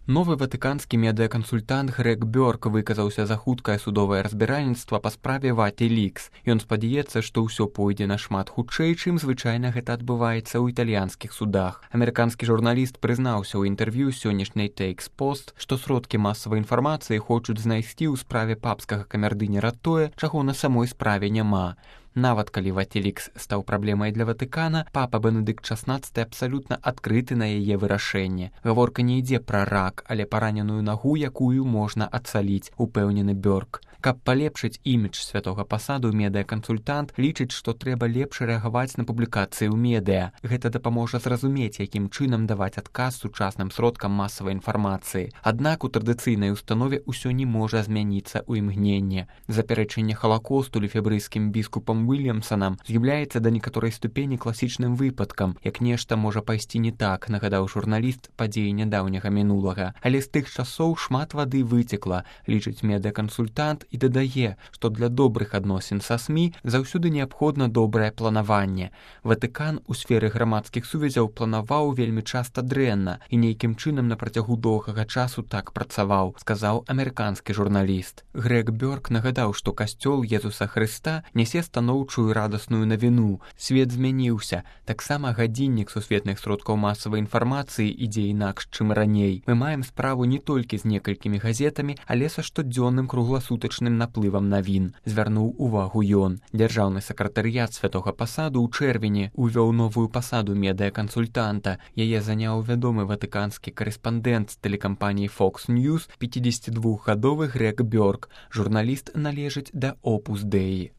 Новы ватыканскі медыакансультант Грег Бёрк выказаўся за хуткае судовае разбіральніцтва па справе Wikileaks. Ён спадзяецца, што ўсё пойдзе нашмат хутчэй, чым звычайна гэта адбываецца ў італьянскіх судах. Амерыканскі журналіст прызнаўся ў інтэрв'ю сённяшняй Takes Post, што сродкі масавай інфармацыі хочуць знайсці ў справе папскага камердынера тое, чаго на самой справе няма. Нават калі Wikileaks стаў праблемай для Ватыкана, папа Бенедыкт XVI абсалютна адкрыты на яе вырашэнне. Гаворка не ідзе пра рак, але параненую нагу, якую можна адцаліць, упэўнены Бёрк. Каб палепшыць імідж святога пасаду, медыакансультант лічыць, што трэба лепш рэагаваць на публікацыі ў медыа. Гэта дапаможа зразумець, якім чынам даваць адказ сучасным сродкам масавай інфармацыі. Аднак у традыцыйнай установе ўсё не можа змяніцца ў імгненне. Запярэчанне халакосту лефебрыйскім біскупам Уильямсонам з'яўляецца да некаторай ступені класічным выпадкам, як нешта можа пайсці не так, нагадаў журналіст падзеі нядаўняга мінулага. Але з тых часоў шмат вады выцекла, лічыць медыакансультант і дадае, што для добрых адносін са СМІ заўсёды неабходна добрае планаванне. Ватыкан у сферы грамадскіх сувязяў планаваў вельмі часта дрэнна і нейкім чынам на працягу доўгага часу так працаваў, сказаў амерыканскі журналіст. Грег Бёрк нагадаў, што касцёл Езуса Хрыста нясе станоўчую радасную навіну. Свет змяніўся. Таксама гадзіннік сусветных сродкаў масавай інфармацыі ідзе інакш, чым раней. Мы маем справу не толькі з некалькімі газетамі, але са штодзённым кругласутачным наплывам навін, звярнуў увагу ён. Дзяржаўны сакратарыят святога пасаду ў чэрвені увёў новую пасаду медыакансультанта. Яе заняў вядомы ватыканскі карэспандэнт з тэлекампаніі Fox News, 52-гадовы Грег Бёрк. Журналіст належыць да Opus Dei.